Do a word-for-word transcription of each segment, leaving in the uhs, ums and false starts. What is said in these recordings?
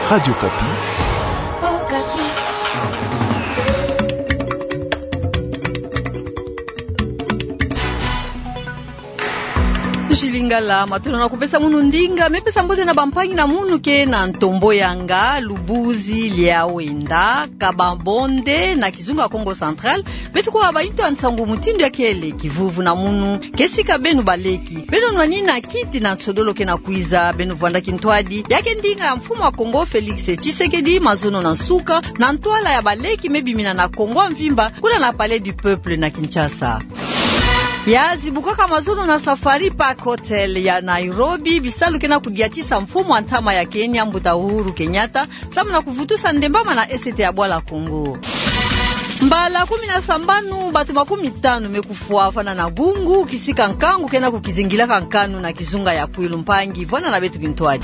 Radio Okapi. Nzilingala, matondo na kupesa munu ndinga, me pesa mbote na bampangi na munu ke na ntombo ya nga, Lubuzi Liawenda, Kaba-Bonde, na kizunga Kongo Central, beto kwa bayintu ya nsangu mutindu ya kele, kivuvu na munu, ke sika beno baleki, beno nwanina kiti na nsodolo ke na kwiza, beno vwanda kintwadi, ya ke ndinga ya mfumu a Kongo Félix Tshisekedi, mazono na nsuka, na ntwala ya baleki me bimina na Kongo mvimba, kuna na Palais du Peuple na Kinshasa. Ya zibukaka mazono na Safari Park Hotel ya Nairobi, bisalu ke na kudiatisa mfumu a ntama ya Kenya, mbuta Uhuru Kenyatta, samu na kuvutusa ndembama na esete ya bwala Kongo. Mbala kumi na sambanu, bato makumi tanu me kufwa vana na bungu, kisika nkangu ke na kukizingilaka nkanu na kizunga ya Kwilu. Mpangi, vwanda na beto kintwadi.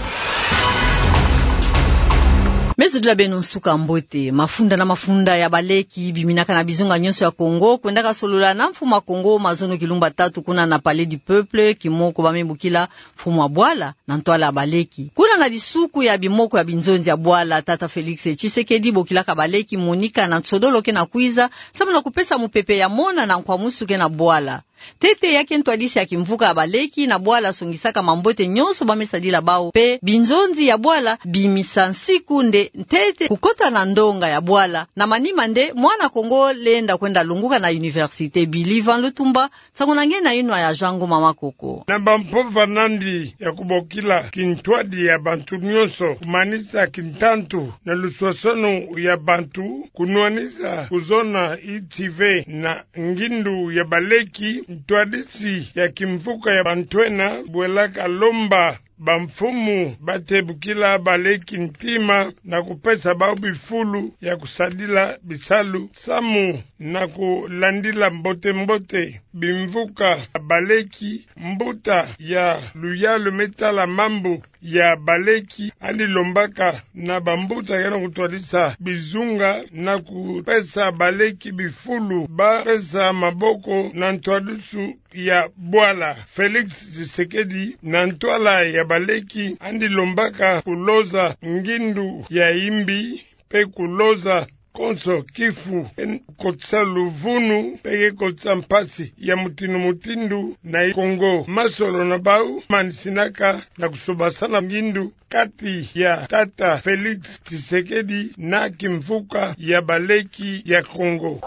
Me zodila beno nsuka mbote. Mafunda na mafunda ya baleki biminaka na bizunga nyonso ya Kongo, kwendaka solola na mfumu a Kongo, mazono kilumbu tatu kuna na Palais du Peuple, kimoko ba me bokila mfumu a bwala na ntwala ya baleki. Kuna na disuku ya bimoko ya binzonzi ya bwala, tata Félix Tshisekedi bokilaka baleki monika na nsodolo ke na kwiza, samu na kupesa mupepe ya mona na nkwamusu ke na bwala. Ntete ya ke ntwadisi ya kimvuka ya baleki na bwala songisaka mambote nyonso ba me sadila bawu, mpe binzonzi ya bwala bimisa nsiku nde ntete kukota na ndonga ya bwala. Na manima nde mwana Kongo lenda kwenda lunguka na université. Billy Van Lutumba, nsangu na nge na yinwa ya Jean Ngoma Makoko. Na bampova nandi ya kubokila kintwadi ya bantu nyonso, kumanisa kintantu na luswaswanu ya bantu, kunwanisa kuzona yi tive na ngindu ya baleki, ntwadisi ya kimvuka ya bantu ena bwelaka lomba bamfumu ba tebukila baleki ntima na kupesa bawu bifulu ya kusadila bisalu samu na kulandila mbote-mbote bimvuka ya baleki. Mbuta ya luyalu me tala mambu ya baleki yandi lombaka na bambuta ya na kutwadisa bizunga na kupesa baleki bifulu ba pesa maboko na ntwadisu ya bwala. Félix Tshisekedi, na ntwala ya baleki, yandi lombaka kuloza ngindu ya yimbi, mpe kuloza konso kifu ke kotisa luvunu, mpe ke kotisa mpasi ya mutindu-mutindu na Kongo. Masolo na bawu manisinaka na kusobasana ngindu kati ya tata Félix Tshisekedi na kimvuka ya baleki ya Kongo.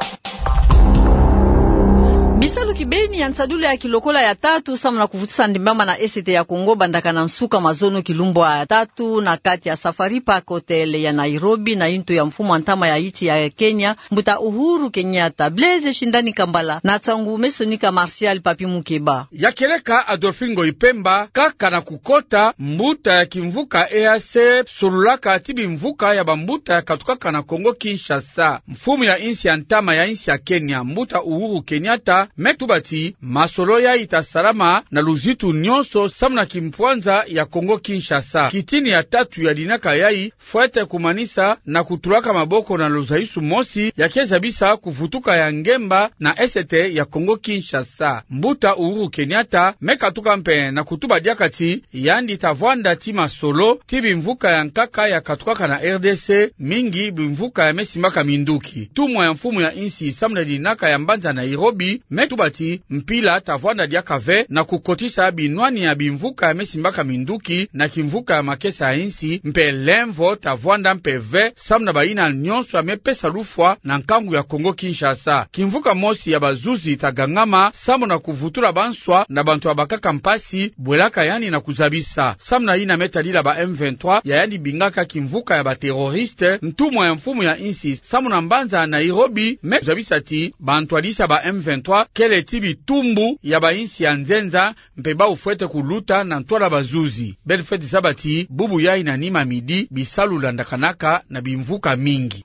Bisalu kibeni ya nsadulu ya kilokola ya tatu samu na kuvutusa ndembama na esete ya Kongo bandaka na nsuka mazono kilumbu ya tatu na kati ya Safari Park Hotel ya Nairobi na yintu ya mfumu a ntama ya yinsi ya Kenya, mbuta Uhuru Kenyatta. Blaise Shindani Kambala na nsangu me sonika Martial Papi Mukeba. Ya kieleka Adolphe Ngoyi Pemba, kaka na kukota, mbuta ya kimvuka E A C sololaka ti bimvuka ya bambuta ya katukaka na Kongo Kinshasa. Mfumu ya yinsi ya ntama ya yinsi ya Kenya, mbuta Uhuru Kenyatta, me tuba ti masolo yayi ta salama na luzitu nyonso samu na kimpwanza ya Kongo Kinshasa. Kitini ya tatu ya dinaka yayi fwete kumanisa na kutulaka maboko na luzaisu mosi ya ke zabisa kuvutuka ya ngemba na esete ya Kongo Kinshasa. Mbuta Uhuru Kenyatta me katuka mpe na kutuba diaka ti yandi ta vwanda ti masolo ti bimvuka ya nkaka ya katukaka na R D C, mingi bimvuka ya me simbaka minduki. Ntumwa ya mfumu ya yinsi samu na dinaka ya mbanza Nairobi me tuba ti mpila ta vwanda diaka ve na kukotisa binwani ya bimvuka ya me simbaka minduki na kimvuka ya makesa ya yinsi, mpe lemvo ta vwanda mpe ve samu na bayina nyonso ya me pesa lufwa na nkangu ya Kongo Kinshasa. Kimvuka mosi ya bazuzi ta gangama samu na kuvutula banswa na bantu ya bakaka mpasi, bwelaka yandi na kuzabisa. Samu na yina me tadila ba M vingt-trois, ya yandi bingaka kimvuka ya baterroriste, ntumwa ya mfumu ya yinsi samu na mbanza Nairobi me zabisa ti bantwadisi ya ba M vingt-trois kele ti bitumbu ya bayinsi ya nzenza, mpe bawu fwete kuluta na ntwala bazuzi. Beno fwete zaba ti bubu yayi na nima midi bisalu landakanaka na bimvuka mingi.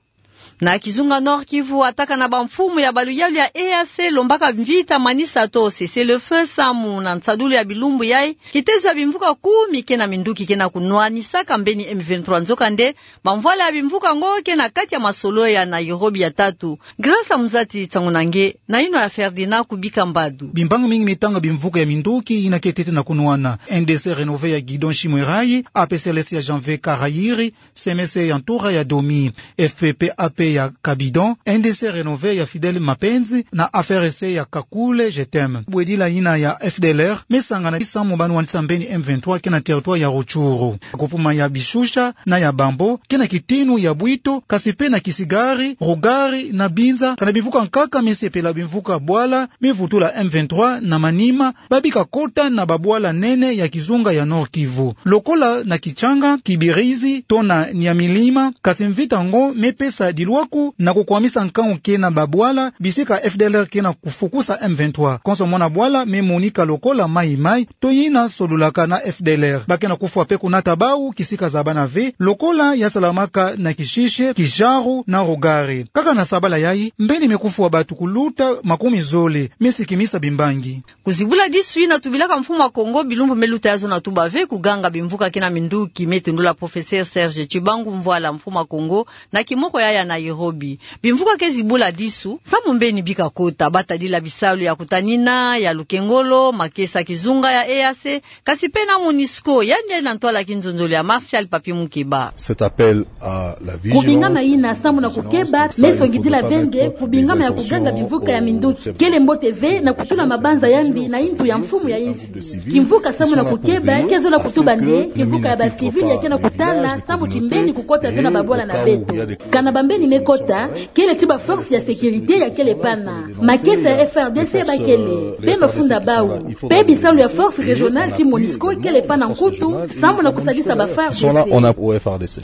Na kizunga Nord-Kivu, atakana bamfumu ya baluyalu ya E A C lombaka mvita manisa to cessez-le-feu samu na nsadulu ya bilumbu yayi, kitezo ya bimvuka kumi kena na minduki kena kunwanisaka mbeni M vingt-trois. Nzokande, bamvwala ya bimvuka ngo kena kati ya masolo ya Nairobi ya tatu. Grâce Amuzati, nsangu na nge na inwa ya Ferdinand Kubika Mbadu. Bimbangi mingi me tanga bimvuka ya minduki yina ke tete na kunwana. N D C renové ya Guidon Chimwerayi, A P C L S ya Janvier Karayiri, C M C ya ntura ya Domi, F P P A P ya Kabidon, N D C renové ya Fidèle Mapenzi na F R C ya Kakule Je t'aime. Bwedila yina ya F D L R me sangana samu ba nwanisa mbeni M vingt-trois kena territoire ya Rutshuru. Groupement ya Bishusha na ya Bambo, kena kitinu ya Bwito, kasi pe na Kisigari, Rugari na Binza, kana bimvuka nkaka me sepela bimvuka bwala me vutula M vingt-trois na manima, ba bika kota na babwala nene ya kizunga ya Nord-Kivu. Lokola na Kitshanga, Kibirizi, to na Nyamilima, kasi mvita ngo me pesa dilwaku na kukwamisa nkangu kena babwala, bisika F D L R kena kufukusa M vingt-trois. Konso mwana bwala me monika lokola Maï-Maï, to yina solulaka na F D L R. Ba kena kufwa pe kunata bawu kisika zabana ve, lokola ya salamaka na Kishishe, Kijaru na Rugari. Kaka na sabala yayi, mbeni me kufwa batu kuluta makumi zole, me sikimisa bimbangi. Kuzibula disu yina tubilaka mfumu a Kongo, bilumbu me luta yazo na tuba ve kuganga bimvuka kena minduki, me tendula Professeur Serge Tshibangu Mvwala, mfumu a Kongo, na kimoko yayi ya Nairobi. Bimvuka ke zibula disu samu mbeni bika kota, ba tadila bisalu ya kutanina, ya lukengolo, makesa kizunga ya E A C, kasi pe na MONUSCO, yandi na ntwala kinzonzolo ya Martial Papi Mukeba. Cet appel à la vigilance. Kubingama yina samu na kukeba, me songidila ve nde kubingama ya kuganga bimvuka ya minduki kele mbote ve na kutula mabanza ya mbi na yintu ya mfumu ya yinsi. Kimvuka samu na kukeba ke zola kutuba nde kimvuka ya ba civil ya kena kutala samu kimbeni kukota ve na babwala na beto. Kana bambeni me kota, kele ti ba force ya sécurité ya kele pana. Makesa ya F A R D C ba kele pe na funda bawu. Pe bisalu ya force régionale ti MONUSCO kele pana nkutu samu na kusadisa ba F A R D C. Sont là, on a au F R D C.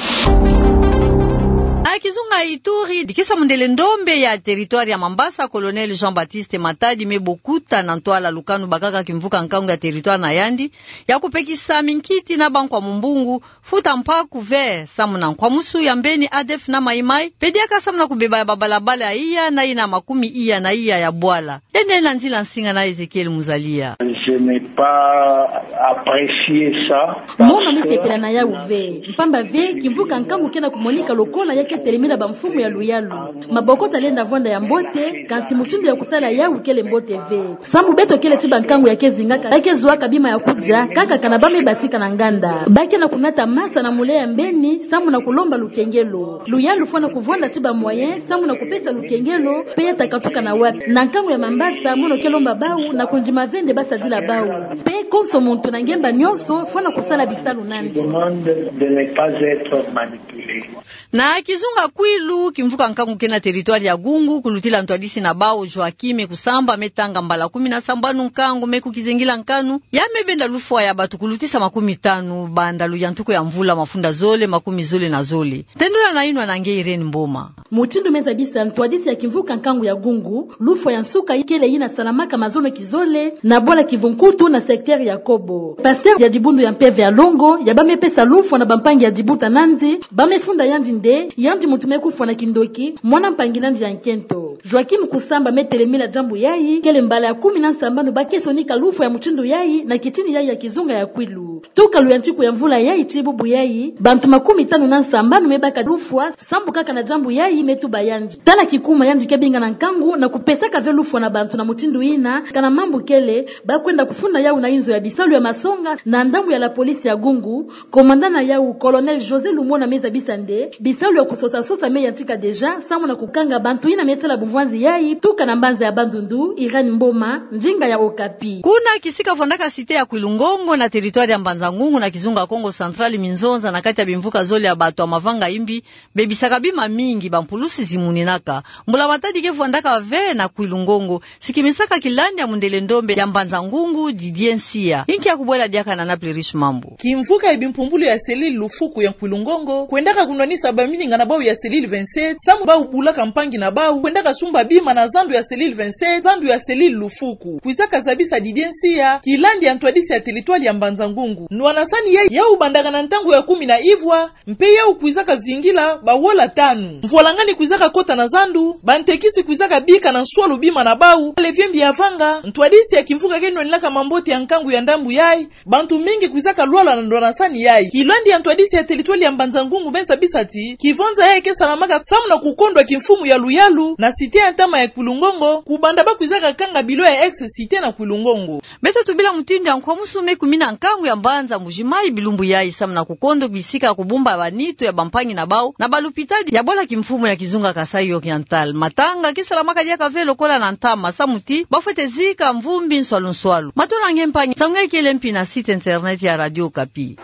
A kizunga Ituri, dikisa mundele ndombe ya territoire ya Mambasa, Colonel Jean-Baptiste Matadi me bokuta na ntwala lukanu bakaka kimvuka nkangu ya territoire na yandi, ya kupekisa minkiti na bankwa mumbungu, futa mpaku ve samu na nkwamusu ya mbeni A D F na Maï-Maï, pe diaka samu na kubeba ya babalabala ya iya na yina makumi iya na iya ya bwala. Yandi na nzila nsinga na Ezekiel Muzalia. Je n'ai pas apprécié ça. Mono me sepela na yawu ve, mpamba ve kimvuka nkangu kena kumonika lokola ya ke telemina bamfumu ya luyalu. Maboko talenda vwanda ya mbote, kansi mutindu ya kusala yawu kele mbote ve. Samu beto kele ti bankangu ya ke zingaka, ba ke zuaka bima ya kudia kaka kana ba me basika na nganda. Ba kena kunata masa na mule ya mbeni samu na kulomba lukengelo. Luyalu fwana kuvwanda ti ba moyen samu na kupesa lukengelo, pe ya ta katuka na wapi. Na nkangu ya Mambasa, mono ke lomba bawu na kundima ve nde ba sadila bawu. Pe konso muntu na ngemba nyonso fwana kusala bisalu nandi. Demande de ne pas être manipulé. Na kizunga Kwilu, kimvuka nkangu kena territoire ya Gungu, kulutila ntwadisi na bawu Joachim Kusamba, me tanga mbala kumi na sambanu nkangu, me kukizengila nkanu, ya me benda lufwa ya batu kulutisa makumi tanu, banda luyantuku ya mvula mafunda zole makumi zole na zole. Tendula na inwa na nge Irène Mboma. Mutindu me zabisa ntwadisi ya kimvuka nkangu ya Gungu, lufwa ya nsuka kele yina salamaka mazono kizole na bwala Kivu-Nkutu na secteur ya Kobo. Pasteur ya dibundu ya mpeve ya longo, ya ba me pesa lufwa na bampangi ya dibuta nandi, ba me funda yandi nde yandi muntu me kufwa na kindoki, mwana mpangi nandi ya nkento. Joachim Kusamba me telemila diambu yayi, kele mbala ya kumi na sambanu ba ke sonika lufwa ya mutindu yayi na kitini yayi ya kizunga ya Kwilu. Tuka luyantiku ya mvula yayi tii bubu yayi, bantu makumi tanu na sambanu me baka lufwa, sambu kaka na diambu yayi me tuba yandi. Tala kikuma yandi ke bingana nkangu na kupesaka ve lufwa na bantu na mutindu yina, kana mambu kele, ba kwenda kufunda yawu na inzo ya bisalu ya masonga na ndambu ya la police ya Gungu. Commandant na yawu, Colonel José Lumona, me zabisa nde bisalu ya kusosa-sosa me yantika déjà, samu na kukanga bantu yina me sala bumvwanzi yayi, tuka na mbanza ya Bandundu. Irène Mboma, ndinga ya Okapi. Kuna kisika vwandaka cité ya Kwilu-Ngongo na territoire ya Mbanza-Ngungu na kizunga Kongo Central, minzonza na kati ya bimvuka zole ya batu ya mavanga imbi, bebisaka bima mingi, bampulusi zimuninaka. Mbula-matadi ke vwandaka ve na Kwilu-Ngongo, sikimisaka kilandi ya mundele ndombe ya Mbanza-Ngungu, Didier Nsia. Inki ya kubwela diaka na Naples Riche Mambu. Kimvuka ya bimpumbulu ya cellule Lufuku ya Kwilu-Ngongo kwendaka kunwanisa bamininga na bawu ya cellule vingt-sept, samu bawu bulaka mpangi na bawu kwendaka sumba bima na zandu ya cellule vingt-sept, zandu ya cellule Lufuku. Kwizaka zabisa Didier Nsia, kilandi ya ntwadisi ya territoire ya Mbanza-Ngungu. Ndwanansani yayi yau bandaka na ntangu ya kumi na ivwa, mpe yau kwizaka zingila bawola tanu. Mvwalangani kwizaka kota na zandu, bantekisi kwizaka bika na nswalu bima na bau, mpale vie mbi yavanga, ntwadisi ya kimvuka ke nwanilaka mambote ya nkangu ya ndambu yayi, bantu mingi kwizaka lwala na ndwanansani yayi. Kilandi ya ntwadisi ya teritwali ya Mbanza-Ngungu Benza Bisati, kivonza yayi ke salamaka samu na kukondwa kimfumu ya luyalu na site ya ntama ya Kwilu-Ngongo, kubanda ba kwizaka kanga bilo ya ex-site na Kwilu-Ngongo. Beto tubila mutindu ya nkwamusu me kumi na nkangu ya mbanza Mbuji-Mayi bilumbu yayi samu na kukondwa bisika ya kubumba banitu ya bampangi na bau na balupitadi ya bwala kimfumu ya kizunga Kasaï Oriental. Matanga ke salamaka diaka ve lokola na ntama samu ti bafwete zika mvumbi nswalu nswalu. Matola nge mpangi, nsangu yayi kele mpi na site internet ya Radio Okapi.